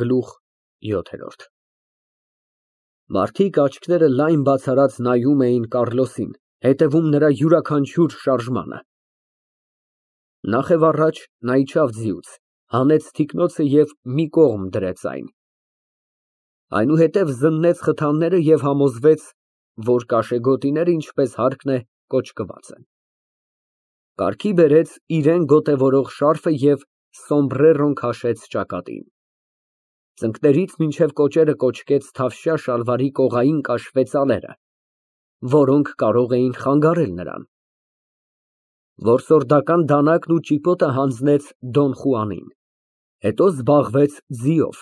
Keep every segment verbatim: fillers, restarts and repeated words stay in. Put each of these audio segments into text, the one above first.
Գլուխ յոթ։ Մարդիկ աչքերը լայն բացարած նայում էին Կառլոսին, հետևում նրա յուրաքանչյուր շարժմանը։ Նախ և առաջ նա իջավ ձիուց, հանեց թիկնոցը և մի կողմ դրեց այն, այնուհետև զննեց խթանները և համոզվեց, որ կաշեգոտիները, ինչպես հարկն է, կոճկված են, կարգի բերեց իրան գոտևորող շարֆը և սոմբրերոն քաշեց ճակատին, ծնկներից մինչև կոճերը կոճկեց թավշյա շալվարի կողային կաշվե ծալերը, որոնք կարող էին խանգարել նրան, որսորդական դանակն ու ճիպոտը հանձնեց Դոն Խուանին, հետո զբաղվեց ձիով,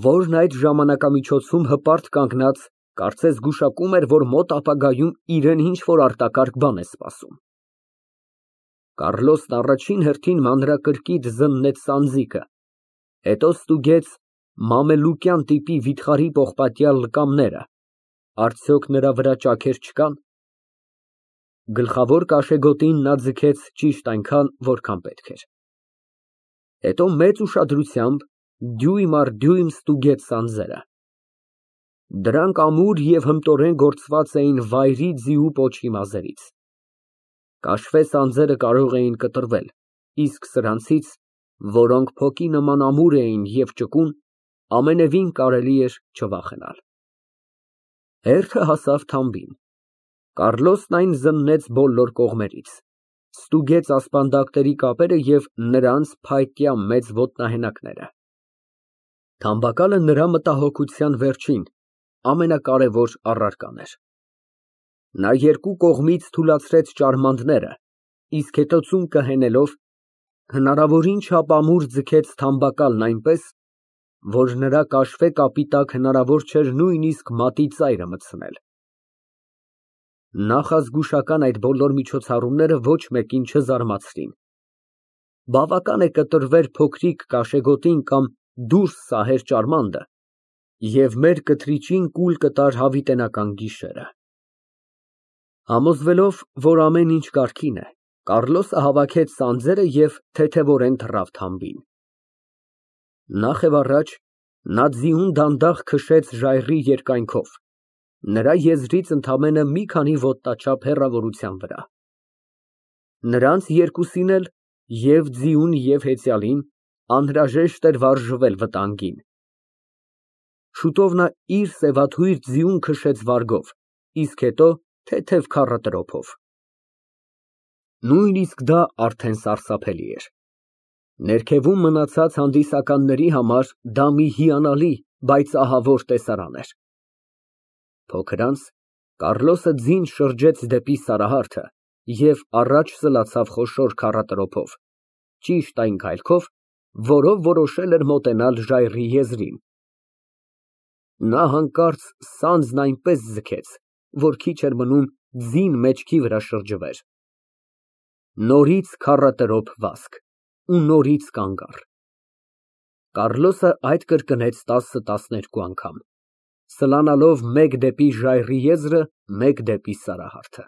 որն այդ ժամանակամիջոցում հպարտ կանգնած, կարծես գուշակում էր, որ մոտ ապագայում իրան ինչ֊որ արտակարգ բան է սպասում։ Կառլոսն առաջին հերթին մանրակրկիտ զննեց սանձիկը, հետո ստուգեց մամելուկյան տիպի վիթխարի պողպատյալ լկամները, արդյոք նրա վրա ճաքեր չկան։ Գլխավոր կաշեգոտին նա ձգեց ճիշտ այնքան, որքան պետք էր, հետո մեծ ուշադրությամբ դյույմ առ դյույմ ստուգեց սանձերը, դրանք ամուր և հմտորեն գործված էին վայրի ձիու պոչի մազերից, կաշվե սանձերը կարող էին կտրվել, իսկ սրանցից, որոնք փոկի նման ամուր էին և ճկուն, ամենևին կարելի էր չվախենալ։ Հերթը հասավ թամբին, Կառլոսն այն զննեց բոլոր կողմերից, ստուգեց ասպանդակների կապերը և նրանց փայտյա մեծ ոտնահենակները։ Թամբակալը նրա մտահոգության վերջին, ամենակարևոր առարկան էր։ Նա երկու կողմից թուլացրեց ճարմանտները, իսկ հետո ծունկը հենելով, հնարավորին չափ ամուր ձգեց թամբակալն այնպես, որ նրա կաշվե կապի տակ հնարավոր չէր նույնիսկ մատի ծայրը մտցնել։ Նախազգուշական այդ բոլոր միջոցառումները ոչ մեկին չզարմացրին։ Բավական է կտրվեր փոքրիկ կաշեգոտին կամ դուրս սահեր ճարմանտը, և մեր կթրիճին կուլ կտար հավիտենական գիշերը։ Համոզվելով, որ ամեն ինչ կարգին է, Կառլոսը հավաքեց սանձերը և թեթևորեն թռավ թամբին։ Նախ և առաջ նա ձիուն դանդաղ քշեց ժայռի երկայնքով, նրա եզրից ընդամենը մի քանի ոտնաչափ հեռավորության վրա։ Նրանց երկուսին էլ, և ձիուն և հեծյալին, անհրաժեշտ էր վարժվել վտանգին։ Շուտով նա իր սևաթույր ձիուն քշեց վարգով, իսկ հետո թեթև քառատրոփով։ Նույնիսկ դա արդեն սարսափելի էր։ Ներքևում մնացած հանդիսականների համար դա մի հիանալի, բայց ահավոր տեսարան էր։ Փոքր անց Կառլոսը ձին շրջեց դեպի Սարահարթը և առաջ սլացավ խոշոր քառատրոփով, ճիշտ այն քայլքով, որով որոշել էր մոտենալ ժայռի եզրին։ Նա հանկարծ սանձն այնպես ձգեց, որ քիչ էր մնում ձին մեջքի վրա շրջվեր։ Նորից քառատրոփ վազք ու նորից կանգ առ։ Կառլոսը այդ կրկնեց տասը֊տասներկու անգամ, սլանալով մեկ դեպի ժայռի եզրը, մեկ դեպի Սարահարթը։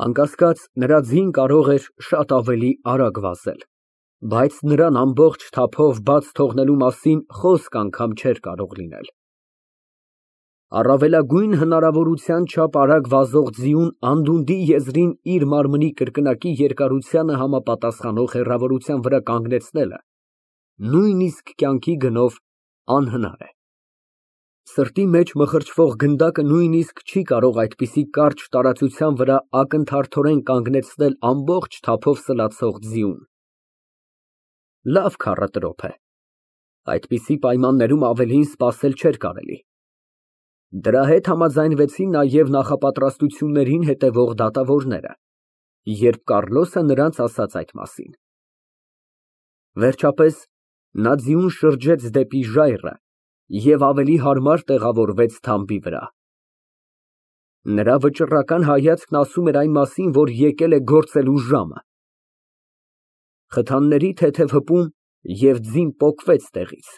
Անկասկած, նրա ձին կարող էր շատ ավելի արագ վազել, բայց նրան ամբողջ թափով բաց թողնելու մասին խոսք անգամ չէր կարող լինել։ Առավելագույն հնարավորության չափ արագ վազող ձիուն անդունդի եզրին իր մարմնի կրկնակի երկարությանը համապատասխանող հեռավորության վրա կանգնեցնելը նույնիսկ կյանքի գնով անհնար է։ Սրտի մեջ մխրճվող գնդակը նույնիսկ չի կարող այդպիսի կարճ տարածության վրա ակնթարթորեն կանգնեցնել ամբողջ թափով սլացող ձիուն։ Լավ քառատրոփ է։ Այդպիսի պայմաններում ավելին սպասել չէր կարելի։ Դրա հետ համաձայնվեցին նաև նախապատրաստություններին հետևող դատավորները, երբ Կառլոսը նրանց ասաց այդ մասին։ Վերջապես նա ձիուն շրջեց դեպի ժայռը և ավելի հարմար տեղավորվեց թամբի վրա։ Նրա վճռական հայացքն ասում էր այն մասին, որ եկել է գործելու ժամը։ Խթանների թեթև հպում և ձին պոկվեց տեղից։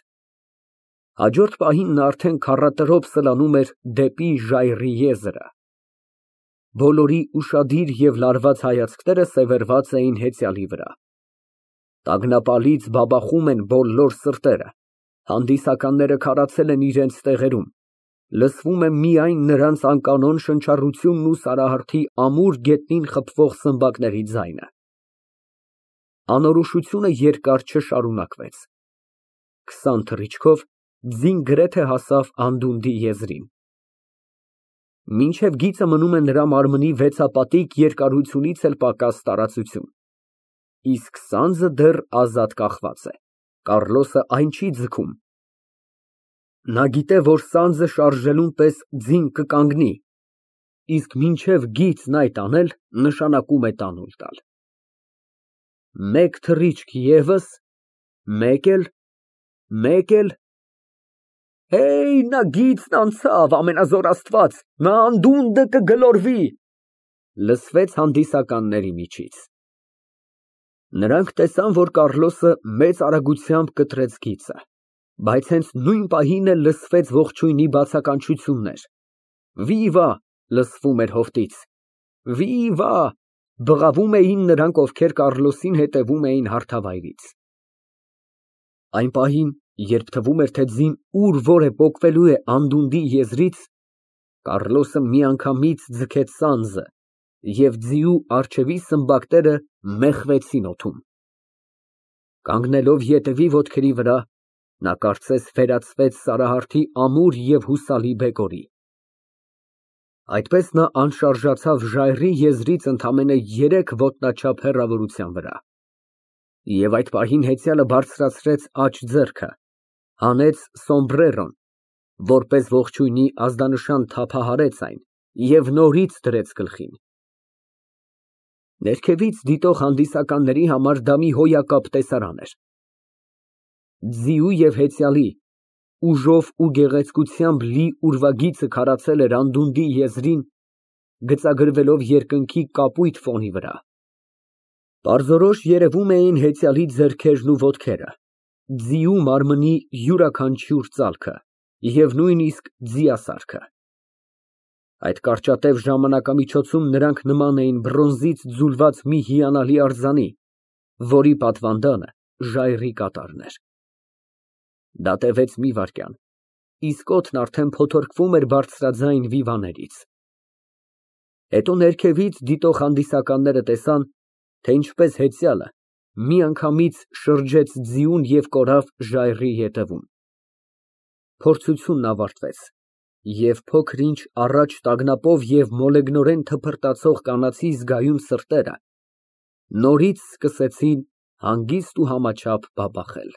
Հաջորդ պահին նա արդեն քառատրոփ սլանում էր դեպի ժայռի եզրը։ Բոլորի ուշադիր և լարված հայացքները սևեռված էին հեծյալի վրա։ Տագնապալից բաբախում են բոլոր սրտերը, Հանդիսականները քարացել են իրենց տեղերում, լսվում է միայն նրանց անկանոն շնչառությունն ու Սարահարթի ամուր գետնին խփվող սմբակների ձայնը։ Անորոշությունը երկար չշարունակվեց։ Քսան թռիչքով ձին գրեթե հասավ անդունդի եզրին։ Մինչև գիծը մնում է նրա մարմնի վեցապատիկ երկարությունից էլ պակաս տարածություն, իսկ սանձը դեռ ազատ կախված է, Կառլոսը այն չի ձգում։ Նա գիտե, որ սանձը շարժելուն պես ձին կկանգնի, իսկ մինչև գիծն այդ անել, նշանակում է տանուլ տալ։ Մեկ թռիչք ևս, մեկ էլ, մեկ էլ… Հեյ, նա գիծն անցավ, ամենազոր Աստված, նա անդունդը կգլորվի, լսվեց հանդիսականների միջից։ Նրանք տեսան, որ Կառլոսը մեծ արագությամբ կտրեց գիծը, բայց հենց նույն պահին էլ լսվեց ողջույնի բացականչություններ։ Վիվա… լսվում էր հովտից, վիվա… բղավում էին նրանք, ովքեր Կառլոսին հետևում էին հարթավայրից։ Այն պահին, երբ թվում էր, թե ձին ուր֊որ է պոկվելու է անդունդի եզրից, Կառլոսը միանգամից ձգեց սանձը, և ձիու առջևի սմբակները մեխվեցին օդում։ Կանգնելով ետևի ոտքերի վրա, նա կարծես վերածվեց Սարահարթի ամուր և հուսալի բեկորի։ Այդպես նա անշարժացավ ժայռի եզրից ընդամենը երեք ոտնաչափ հեռավորության վրա։ Եվ այդ պահին հեծյալը բարձրացրեց աջ ձեռքը, հանեց սոմբրերոն, որպես ողջույնի ազդանշան թափահարեց այն և նորից դրեց գլխին։ Ներքևից դիտող հանդիսականների համար դա մի հոյակապ տեսարան էր։ Ձիու և հեծյալի ուժով ու գեղեցկությամբ լի ուրվագիծը քարացել էր անդունդի եզրին, գծագրվելով երկնքի կապույտ ֆոնի վրա։ Պարզորոշ երևում էին հեծյալի ձեռքերն ու ոտքերը, ձիու մարմնի յուրաքանչյուր ծալքը և նույնիսկ ձիասարքը։ Այդ կարճատև ժամանակամիջոցում նրանք նման էին բրոնզից ձուլված մի հիանալի արձանի, որի պատվանդանը ժայռի կատարն էր։ Դա տևեց մի վայրկյան, իսկ օդն արդեն փոթորկվում էր բարձրաձայն վիվաներից։ Հետո ներքևից դիտող հանդիսականները տեսան, թե ինչպես հեծյալը միանգամից շրջեց ձիուն և կորավ ժայռի ետևում։ Փորձությունն ավարտվեց, և փոքր-ինչ առաջ տագնապով և մոլեգնորեն թփրտացող կանացի զգայուն սրտերը նորից սկսեցին հանգիստ ու համաչափ բաբախել։